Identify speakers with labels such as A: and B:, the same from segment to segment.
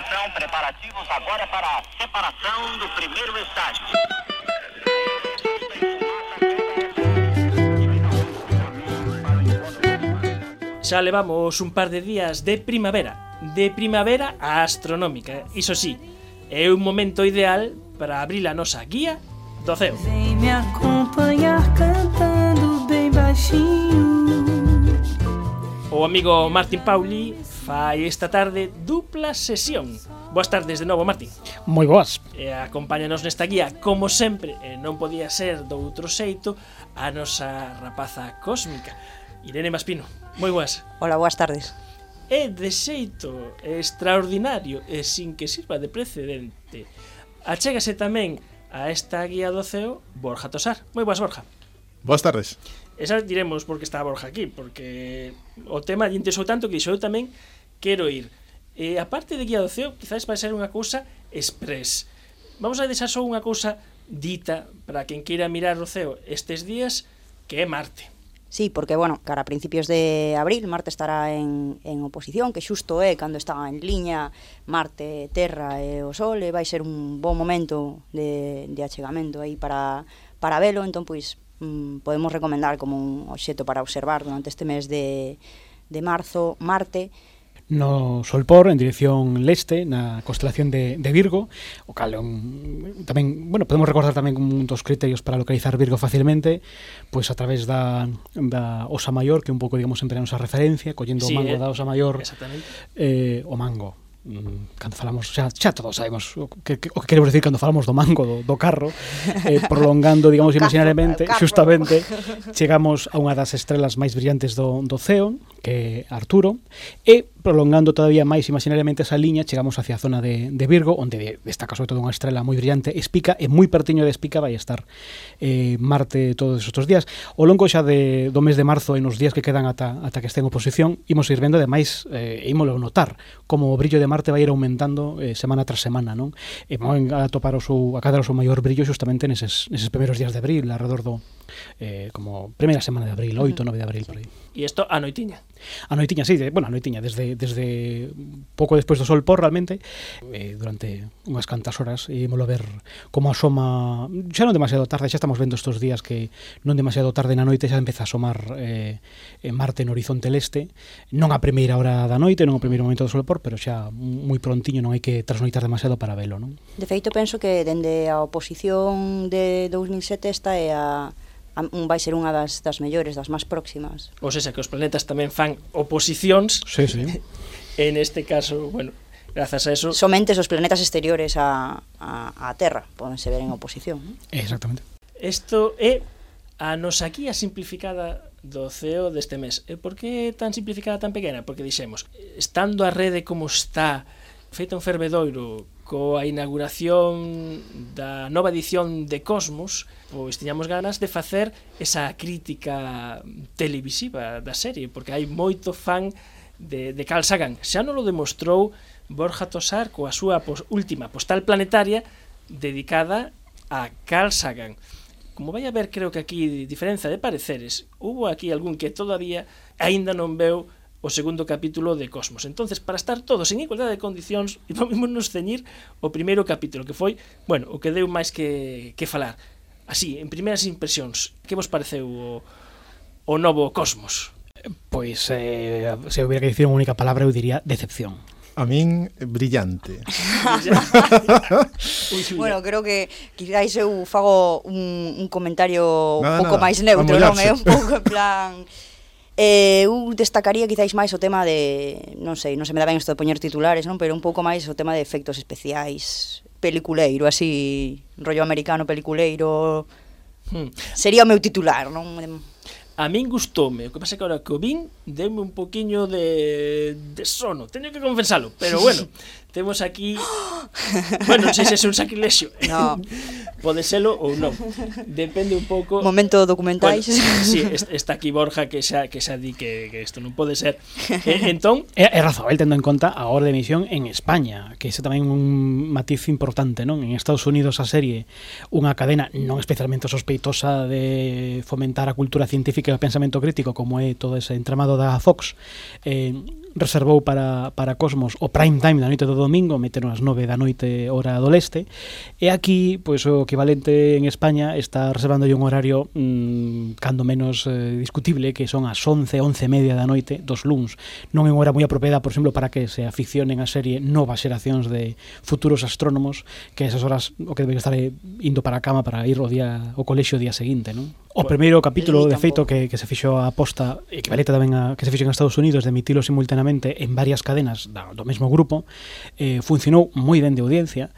A: Atenção, preparativos agora para a separação do primeiro estágio.
B: Xa levamos un par de días de primavera astronómica. Iso sí, é un momento ideal para abrir a nosa guía do ceo.
C: Vem me acompanhar cantando bem baixinho.
B: O amigo Martín Pauli fai esta tarde dupla sesión. Boas tardes de novo, Martín.
D: Moi boas.
B: Acompáñanos nesta guía, como sempre, non podía ser do outro xeito, a nosa rapaza cósmica, Irene Maspino. Moi boas.
E: Hola, boas tardes.
B: E de xeito extraordinario e sin que sirva de precedente, achégase tamén a esta guía do ceo Borja Tosar. Moi boas, Borja.
F: Boas tardes.
B: Esa diremos porque está Borja aquí, porque o tema lle interesou tanto que dixo eu tamén quero ir. E a parte de guía do ceo, quizás vai ser unha cousa express. Vamos a deixar só unha cousa dita para quen queira mirar o ceo estes días, que é Marte.
E: Sí, porque, bueno, cara a principios de abril Marte estará en oposición, que xusto é cando está en liña Marte, Terra e o Sol, e vai ser un bon momento de achegamento aí para velo. Entón, pois, podemos recomendar como un obxecto para observar durante este mes de marzo Marte.
D: No Solpor, en dirección leste, na constelación de Virgo, o cal tamén, bueno, podemos recordar tamén como un dos criterios para localizar Virgo facilmente, pois a través da Osa Maior, que un pouco, digamos, sempre a nosa referencia, collendo o mango da Osa Maior, o mango. Cando falamos, xa todos sabemos o que queremos decir cando falamos do mango do carro, prolongando, digamos, imaginariamente, justamente chegamos a unha das estrelas máis brillantes do ceo, que é Arturo, e prolongando todavía máis imaginariamente esa liña, chegamos hacia a zona de Virgo, onde destaca sobre todo unha estrela moi brillante, Espica, e moi pertiño de Espica vai estar Marte todos estes días. Ao longo xa do mes de marzo, e nos días que quedan ata que este en oposición, imos ir vendo, ademais, ímolo notar, como o brillo de Marte vai ir aumentando semana tras semana, non? E van a topar a cadar o seu maior brillo justamente neses primeiros días de abril, alrededor do como primeira semana de abril, 8, 9 de abril, por aí.
B: E isto a noitiña?
D: A noitiña, sí, a noitiña, desde pouco despois do sol por, realmente, durante unhas cantas horas, ímolo ver como asoma, xa non demasiado tarde, xa estamos vendo estes días que non demasiado tarde na noite xa empeza a asomar Marte no horizonte leste, non a primeira hora da noite, non o primeiro momento do sol por, pero xa moi prontiño, non hai que trasnoitar demasiado para velo, non?
E: De feito, penso que dende a oposición de 2007 esta é vai ser unha das mellores, das máis próximas.
B: Ou seja, que os planetas tamén fan oposicións.
D: Sí.
B: En este caso, bueno, grazas a eso...
E: Somente os planetas exteriores a Terra podense ver en oposición, non?
D: Exactamente.
B: Isto é a nosa guía simplificada do ceo deste mes. E por que tan simplificada, tan pequena? Porque dixemos, estando a rede como está, feita un fervedoiro, coa inauguración da nova edición de Cosmos, pois tiñamos ganas de facer esa crítica televisiva da serie, porque hai moito fan de Carl Sagan. Xa non lo demostrou Borja Tosar coa súa última postal planetaria dedicada a Carl Sagan. Como vai haber, creo que aquí, diferenza de pareceres, hubo aquí algún que todavía aínda non veu o segundo capítulo de Cosmos. Entonces, para estar todos en igualdade de condicións, vamos nos ceñir o primeiro capítulo, que foi, bueno, o que deu máis que falar. Así, en primeiras impresións, que vos pareceu o novo Cosmos?
D: Pois, se hubiera que dicir unha única palabra, eu diría decepción.
F: A min, brillante.
E: Bueno, creo que quizás eu fago un comentario un pouco máis neutro, non? É un pouco en plan... eu destacaría quizáis máis o tema de, non se me dá ben isto de poñer titulares, non, pero un pouco máis o tema de efectos especiais, peliculeiro, así, rollo americano peliculeiro. Sería o meu titular, non?
B: A min gustoume, o que pasa que agora que o vin, deume un poquinho de sono, teño que confesalo, pero bueno, temos aquí, bueno, non sei se é un sacrilexio,
E: no.
B: Pode selo ou non, depende un pouco.
E: Momento documentais.
B: Bueno, sí, está aquí Borja que xa di que isto non pode ser. Entón,
D: é razoável tendo en conta a hora de emisión en España, que ese tamén un matiz importante, non? En Estados Unidos a serie, unha cadena non especialmente sospeitosa de fomentar a cultura científica e o pensamento crítico, como é todo ese entramado da Fox, reservou para Cosmos o prime time da noite do domingo, meteron as 9 da noite hora do leste, e aquí, pois, o equivalente en España está reservándolle un horario cando menos discutible, que son as 11:30 da noite dos luns. Non é unha hora moi apropiada, por exemplo, para que se aficionen a serie novas xeracións de futuros astrónomos, que esas horas o que deben estar indo para a cama para ir ao colexio o día seguinte, non? O primeiro capítulo, de feito, que se fixo a aposta, equivalente tamén a que se fixo en Estados Unidos, de emitilo simultaneamente en varias cadenas do mesmo grupo, funcionou moi ben de audiencia,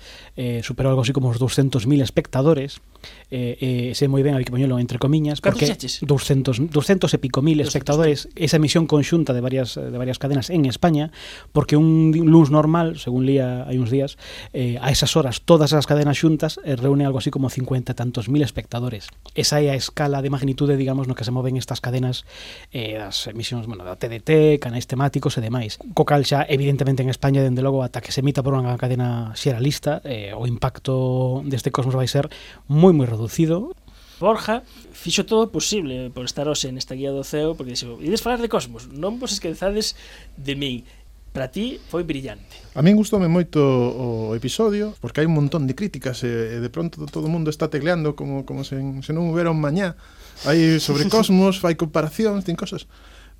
D: superou algo así como os 200.000 espectadores, sei moi ben, hai que poñelo entre comiñas, porque 200 e pico mil espectadores, esa emisión conxunta de varias cadenas en España, porque un luns normal, según lía hai uns días, a esas horas, todas as cadenas xuntas reúne algo así como 50 e tantos mil espectadores. Esa é a escala de magnitude, digamos, no que se moven estas cadenas, as emisións, bueno, da TDT, canais temáticos e demais. Co cal xa, evidentemente, en España, dende logo, ata que se emita por unha cadena xeralista, o impacto deste Cosmos vai ser moi reducido.
B: Borja fixo todo o posible por estar hoxe nesta guía do ceo, porque dixo, ides falar de Cosmos, non vos esquezades de min. Para ti foi brillante.
F: A min gustoume moito o episodio, porque hai un montón de críticas e de pronto todo o mundo está tecleando como se non houbera un mañá. Hai sobre Cosmos, fai comparacións, ten cosas.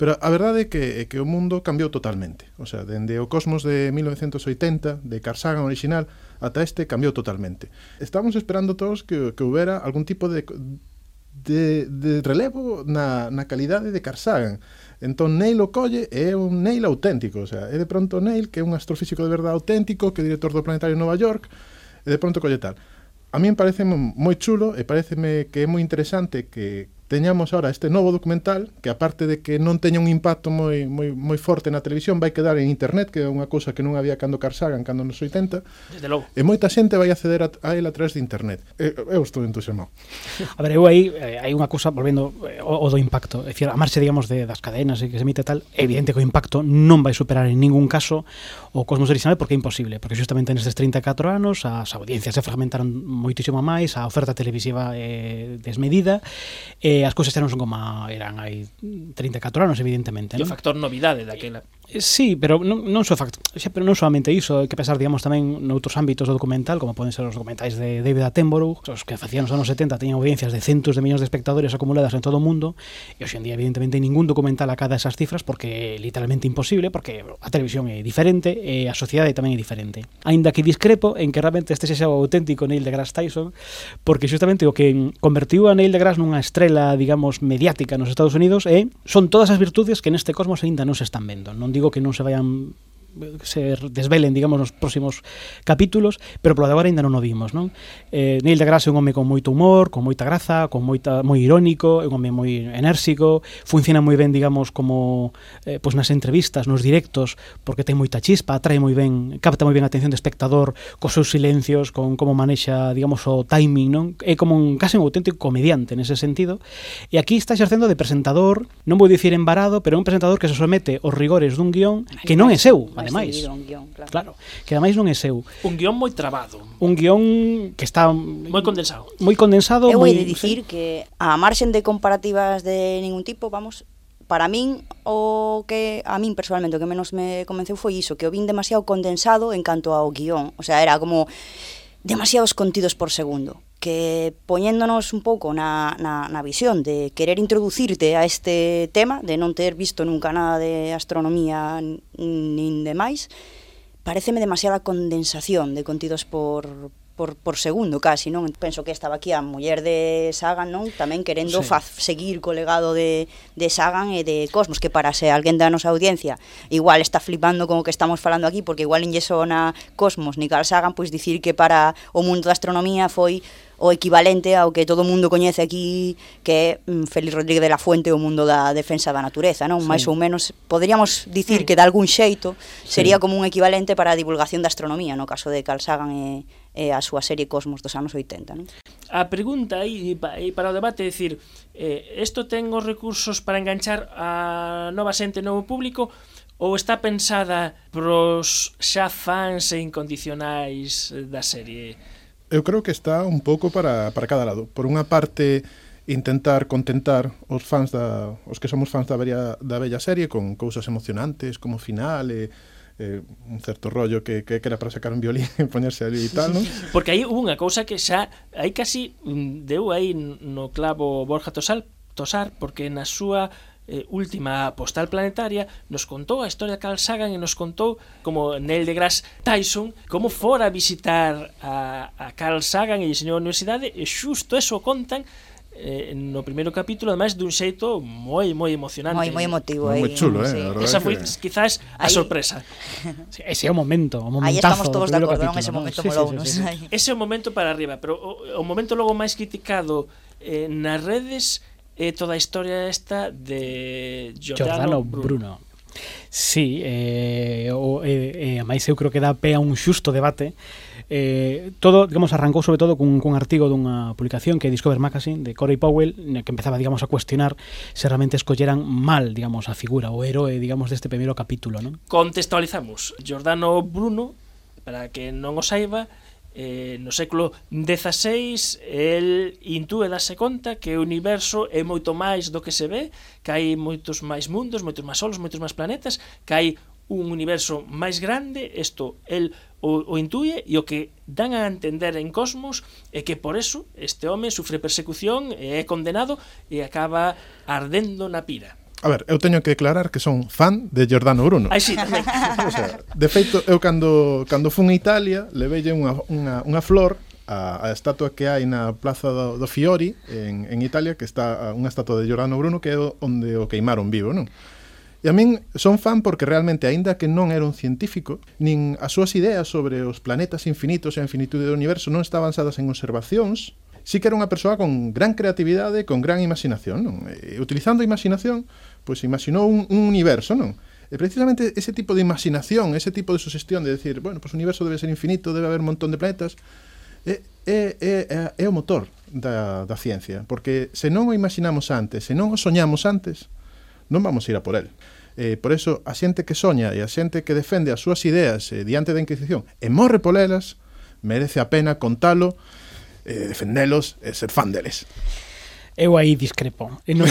F: Pero a verdade é que o mundo cambiou totalmente. O sea, dende o Cosmos de 1980, de Carl Sagan original, ata este cambiou totalmente. Estamos esperando todos que houbera algún tipo de relevo na calidade de Carl Sagan. Entón Neil o colle é un Neil auténtico, o sea, é de pronto Neil, que é un astrofísico de verdade auténtico, que é director do Planetario de Nova York, e de pronto colle tal. A min parece moi chulo e pareceme que é moi interesante que teñamos ahora este novo documental que, aparte de que non teña un impacto moi forte na televisión, vai quedar en internet, que é unha cousa que non había cando Carl Sagan, cando nos 80.
B: Desde logo.
F: E moita xente vai acceder a él a través de internet. Eu estou entusiasmado.
D: A ver, eu aí hai unha cousa, volvendo o do impacto, é dicir, a marcha, digamos, das cadenas e que se emite tal, é evidente que o impacto non vai superar en ningún caso o Cosmos original, porque é imposible, porque justamente nestes 34 anos as audiencias se fragmentaron moitísimo máis, a oferta televisiva é desmedida, e as cousas xa non son como eran hai 34 anos, evidentemente,
B: E o factor novidade daquela.
D: Sí, pero non só pero non solamente iso, hai que pensar, digamos, tamén noutros ámbitos do documental, como poden ser os documentais de David Attenborough, os que facían nos anos 70 teñen audiencias de centos de millóns de espectadores acumuladas en todo o mundo, e hoxe en día, evidentemente, ningún documental acada esas cifras, porque é literalmente imposible, porque a televisión é diferente e a sociedade tamén é diferente. Aínda que discrepo en que realmente este xa o auténtico Neil deGrasse Tyson, porque justamente o que convertiu a Neil deGrasse nunha estrela, digamos, mediática nos Estados Unidos son todas as virtudes que neste Cosmos aínda non se están vendo. Non digo que non se vayan se desvelen, digamos, nos próximos capítulos, pero polo de agora ainda non o vimos, non? Neil deGrasse é un home con moito humor, con moita graza, moi irónico, é un home moi enérxico, funciona moi ben, digamos, como pois nas entrevistas, nos directos, porque ten moita chispa, atrae moi ben, capta moi ben a atención do espectador cos seus silencios, con como manexa, digamos, o timing, non? É como case un auténtico comediante nese sentido, e aquí está exercendo de presentador, non vou dicir embarado, pero é un presentador que se somete aos rigores dun guión que non é seu, ademais. Claro, que ademais non é seu.
B: Un guión moi trabado.
D: Un guión que está moi
B: condensado.
D: Moi condensado.
E: Eu hei de dicir que a marxen de comparativas de ningún tipo, vamos, para min o que a min personalmente o que menos me convenceu foi iso, que o vin demasiado condensado en canto ao guión. O sea, era como demasiados contidos por segundo, que poñéndonos un pouco na visión de querer introducirte a este tema, de non ter visto nunca nada de astronomía nin demais, pareceme demasiada condensación de contidos por segundo, casi, non? Penso que estaba aquí a muller de Sagan, non? Tamén querendo seguir co legado de Sagan e de Cosmos, que para se alguén da nosa audiencia igual está flipando con o que estamos falando aquí, porque igual non lle sona Cosmos ni Carl Sagan, pois dicir que para o mundo da astronomía foi o equivalente ao que todo o mundo coñece aquí, que é Félix Rodríguez de la Fuente, o mundo da defensa da natureza, non? Mais ou menos, poderíamos dicir que de algún xeito sería como un equivalente para a divulgación da astronomía, no caso de Carl Sagan e a súa serie Cosmos dos anos 80, non?
B: A pregunta aí para o debate é dicir, isto ten os recursos para enganchar a nova xente, novo público, ou está pensada pros xa fans e incondicionais da serie?
F: Eu creo que está un pouco para cada lado. Por unha parte, intentar contentar os que somos fans da bella serie con cousas emocionantes como final un certo rollo que era para sacar un violín e poñerse ali e tal, non?
B: Porque aí hubo unha cousa que xa aí casi deu aí no clavo Borja Tosar, porque na súa última postal planetaria nos contou a historia de Carl Sagan e nos contou como Neil deGrasse Tyson como fora a visitar a Carl Sagan e diseñou a universidade, e xusto eso contan no primeiro capítulo, ademais dun xeito moi emocionante,
E: moi emotivo,
F: moi chulo,
E: sí.
F: Esa
B: Esa foi quizás a sorpresa.
D: Sí, ese é o momentazo.
E: Aí estamos todos de acordo, non? Ese momento molounos.
B: Ese é o momento para arriba, pero o momento logo máis criticado nas redes é toda a historia esta de Giordano Bruno.
D: Sí, máis eu creo que dá pé a un xusto debate. Todo, digamos, arrancou sobre todo cun artigo dunha publicación que é Discover Magazine de Corey Powell, que empezaba, digamos, a cuestionar se realmente escolleran mal, digamos, a figura, o héroe, digamos, deste primeiro capítulo, non?
B: Contextualizamos. Giordano Bruno, para que non o saiba, no século XVI el intúe darse conta que o universo é moito máis do que se ve, que hai moitos máis mundos, moitos máis solos, moitos máis planetas, que hai un universo máis grande. Isto el o intuye, e o que dan a entender en Cosmos é que por eso este home sufre persecución e é condenado e acaba ardendo na pira.
F: A ver, eu teño que declarar que son fan de Giordano Bruno.
B: Ai, sí, tamén.
F: O sea, de feito, eu cando fun a Italia, levelle unha flor a estatua que hai na Plaza do Fiori en Italia, que está unha estatua de Giordano Bruno, que é onde o queimaron vivo, non? E a min son fan porque realmente, aínda que non era un científico, nin as súas ideas sobre os planetas infinitos e a infinitude do universo non estaban basadas en observacións, sí que era unha persoa con gran creatividade e con gran imaginación, non? E utilizando a imaginación, pois imaginou un universo, non? E precisamente ese tipo de imaginación, ese tipo de sugestión de decir, bueno, pois o universo debe ser infinito, debe haber un montón de planetas, é o motor da ciencia, porque se non o imaginamos antes, se non o soñamos antes, non vamos a ir a por él. Por eso, a xente que soña e a xente que defende as súas ideas diante da Inquisición e morre polelas, merece a pena contalo, defendelos e ser fan deles.
D: Eu aí discrepo. Non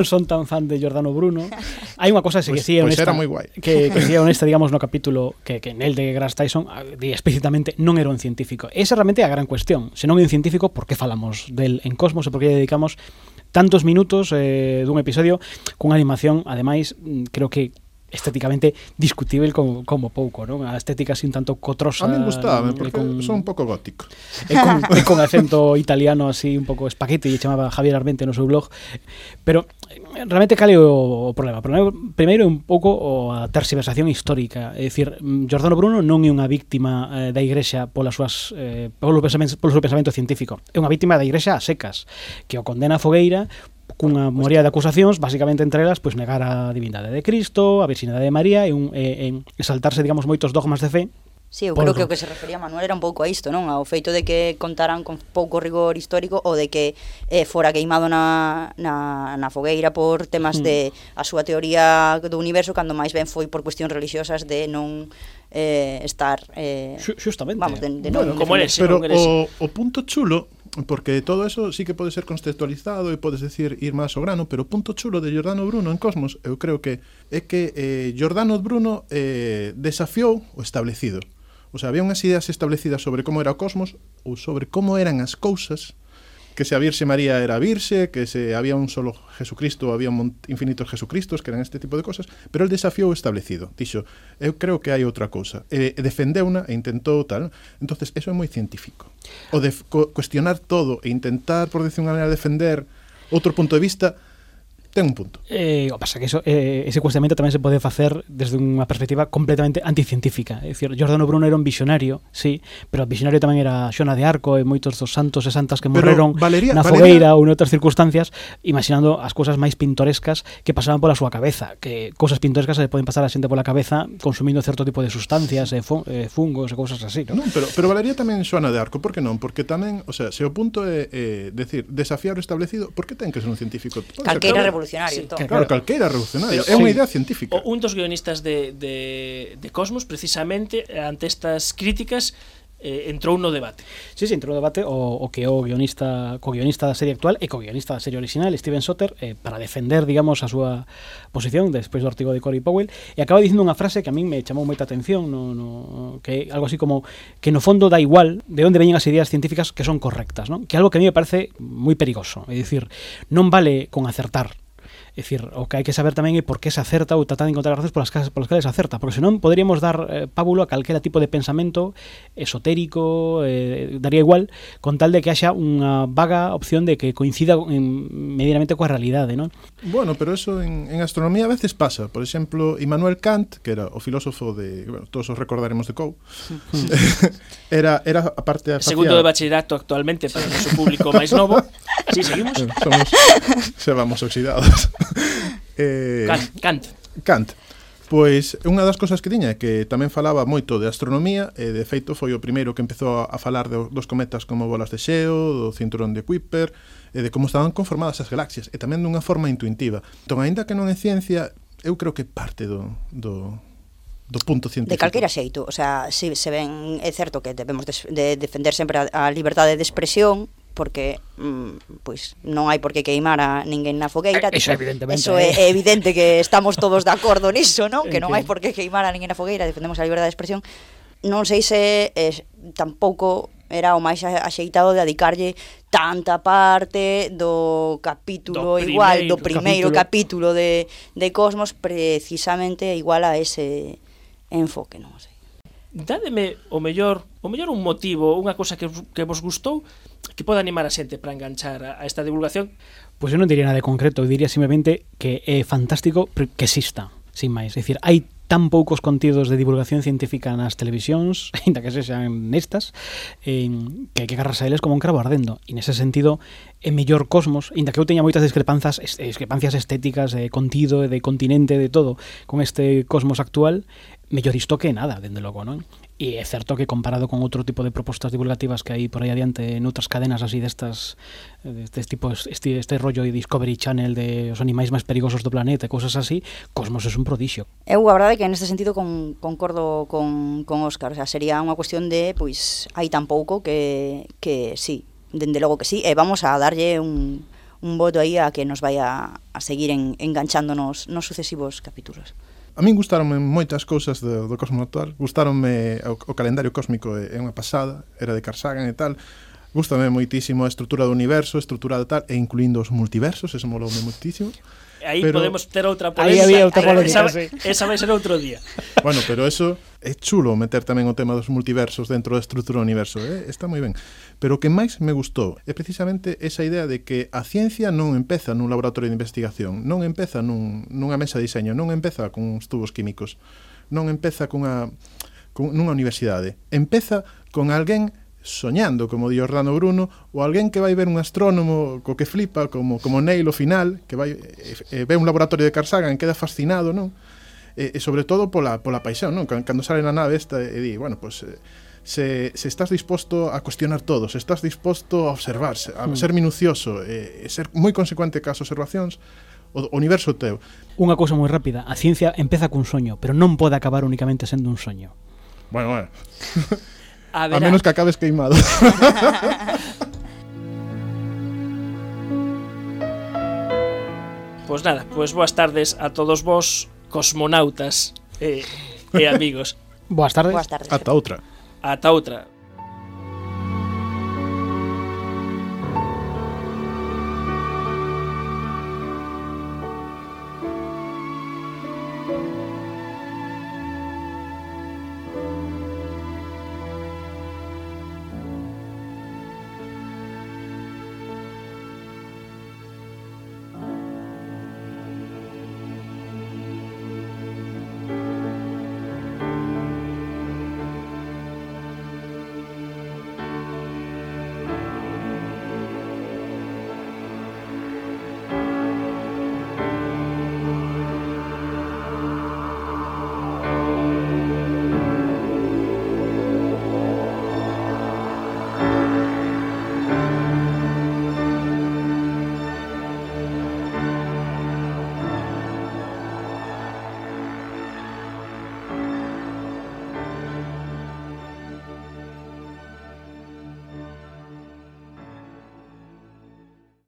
D: son tan fan de Giordano Bruno. Hai unha cosa que sí é honesta,
F: era moi guai.
D: que sí é honesta, digamos, no capítulo que Neil deGrasse Tyson di explícitamente non era un científico. Esa realmente é a gran cuestión. Se non é un científico, por que falamos del en Cosmos e por que dedicamos tantos minutos dun episodio cunha animación, ademais, creo que estéticamente discutible como pouco, non? A estética así un tanto cotrosa.
F: A mí gustaba, porque son un pouco gótico.
D: E con acento italiano así un pouco espagueti, e chamaba Javier Armente no seu blog. Pero realmente cal é o problema? Primeiro é un pouco a tergiversación histórica. É dicir, Giordano Bruno non é unha víctima da Igrexa polo seu pensamento científico. É unha víctima da Igrexa a secas, que o condena a fogueira cunha moría de acusacións, basicamente entre elas, pois negar a divindade de Cristo, a virxinidade de María e saltarse, digamos, moitos dogmas de fe.
E: Sí, eu creo que o que se refería Manuel era un pouco a isto, non? Ao feito de que contaran con pouco rigor histórico ou de que fora queimado na fogueira por temas de a súa teoría do universo, cando máis ben foi por cuestións religiosas de non estar
D: xustamente,
E: vamos, de
B: bueno,
E: non
B: como eres,
F: pero o punto chulo, porque todo eso sí que pode ser contextualizado e podes decir ir máis ao grano, pero o punto chulo de Giordano Bruno en Cosmos, eu creo que é que Giordano Bruno desafiou o establecido. O sea, había unhas ideas establecidas sobre como era o cosmos ou sobre como eran as cousas, que se a Virxe María era virxe, que se había un solo Jesucristo, había infinitos Jesucristos, que eran este tipo de cosas, pero el desafiou o establecido. Dixo, eu creo que hai outra cousa. Defendeuna e intentou tal. Entonces, eso é moi científico. O de cuestionar todo e intentar, por decir unha maneira, defender outro punto de vista, ten un punto.
D: O pasa que ese cuestionamento tamén se pode facer desde unha perspectiva completamente anticientífica. É dicir, Giordano Bruno era un visionario, sí, pero o visionario tamén era Xoana de Arco e moitos dos santos e santas que morreron na fogueira ou en outras circunstancias, imaginando as cousas máis pintorescas que pasaban pola súa cabeza, que cousas pintorescas se poden pasar a xente pola cabeza consumindo certo tipo de sustancias, fungos e cousas así, non?
F: Non, pero valería tamén Xoana de Arco, por que non? Porque tamén, o sea, se o punto é decir, desafiar o establecido, por que ten que ser un científico?
E: Calqueira revolucionario,
B: sí,
E: entón.
F: Claro, calqueira revolucionario, é unha idea científica.
B: Un dos guionistas de Cosmos, precisamente, ante estas críticas, entrou no debate.
D: Sí, entrou no debate o que o co-guionista da serie actual e co-guionista da serie original, Steven Soter, para defender, digamos, a súa posición despois do artigo de Cory Powell, e acaba dicindo unha frase que a min me chamou moita atención, que é algo así como que no fondo dá igual de onde veñen as ideas científicas que son correctas, ¿no? Que é algo que a mí me parece moi perigoso, é dicir, non vale con acertar. É dicir, o que hai que saber tamén é por que se acerta ou tratar de encontrar razones polas que se acerta, porque senón poderíamos dar pábulo a calquera tipo de pensamento esotérico, daría igual, con tal de que haxa unha vaga opción de que coincida medianamente coa realidade, non?
F: Bueno, pero eso en astronomía a veces pasa. Por exemplo, Immanuel Kant, que era o filósofo de, bueno, todos os recordaremos de Coe, era a parte da
B: segundo de bachillerato actualmente para o noso público máis novo. Si, seguimos.
F: Se vamos oxidados. Kant. Pois unha das cosas que tiña é que tamén falaba moito de astronomía e de feito foi o primeiro que empezou a falar dos cometas como bolas de xeo, do cinturón de Kuiper e de como estaban conformadas as galaxias e tamén dunha forma intuitiva. Entón, aínda que non é ciencia, eu creo que parte do punto científico.
E: De calquera xeito, o sea, se ven, é certo que debemos de defender sempre a liberdade de expresión, porque pois non hai por que queimar a ninguén na fogueira.
D: Eso evidentemente.
E: Eso é evidente que estamos todos de acordo niso, non? Que non hai por que queimar a ninguén na fogueira, defendemos a liberdade de expresión. Non sei se tampouco era o máis axeitado de dedicarlle tanta parte do capítulo do primeiro capítulo de Cosmos precisamente igual a ese enfoque, non sei.
B: Dádeme o mellor un motivo, unha cosa que vos gustou que pode animar a xente para enganchar a esta divulgación.
D: Pois eu non diría nada de concreto, eu diría simplemente que é fantástico que exista, sin máis. É dicir, hai tan poucos contidos de divulgación científica nas televisións, ainda que sexan nestas, que hai que agarrarse a eles como un cravo ardendo. E nese sentido, é mellor Cosmos, ainda que eu teña moitas discrepancias estéticas, de contido, de continente, de todo, con este Cosmos actual, mellor isto que nada, dende logo, non? E é certo que comparado con outro tipo de propostas divulgativas que hai por aí adiante noutras cadenas así destas este rollo de Discovery Channel de os animais máis perigosos do planeta e cousas así, Cosmos é un prodixio.
E: Eu a verdade é que neste sentido concordo con Óscar, o sea, sería unha cuestión de, pois, hai tan pouco que sí, dende logo que sí, e vamos a darlle un voto aí a que nos vai a seguir enganchándonos nos sucesivos capítulos.
F: A min gustaronme moitas cousas do Cosmos actual. Gustaronme o calendario cósmico, é unha pasada, era de Carl Sagan e tal. Gústame moitísimo a estrutura do universo, estrutura de tal, e incluindo os multiversos, eso moloume moitísimo.
B: Aí podemos ter outra polémica.
D: Aí había outra polémica,
B: esa vai ser outro día.
F: Bueno, pero eso é chulo meter tamén o tema dos multiversos dentro da estrutura do universo, está moi ben. Pero o que máis me gustou é precisamente esa idea de que a ciencia non empeza nun laboratorio de investigación, non empeza nunha mesa de diseño, non empeza con uns tubos químicos, non empeza nunha universidade, empeza con alguén soñando, como di Orlando Bruno, ou alguén que vai ver un astrónomo co que flipa, como Neil ao final, que vai ve un laboratorio de Carl Sagan e queda fascinado, non? E sobre todo pola paixón, non? Cando sale na nave esta e di, bueno, pues se estás disposto a cuestionar todo, se estás disposto a observar, a ser minucioso, ser moi consecuente cas observacións, o universo teu.
D: Unha cousa moi rápida, a ciencia empeza cun soño, pero non pode acabar únicamente sendo un soño.
F: Bueno. A menos que acabes queimado.
B: Pois nada, pois boas tardes a todos vos, cosmonautas e amigos.
D: Boas tardes.
F: Ata outra.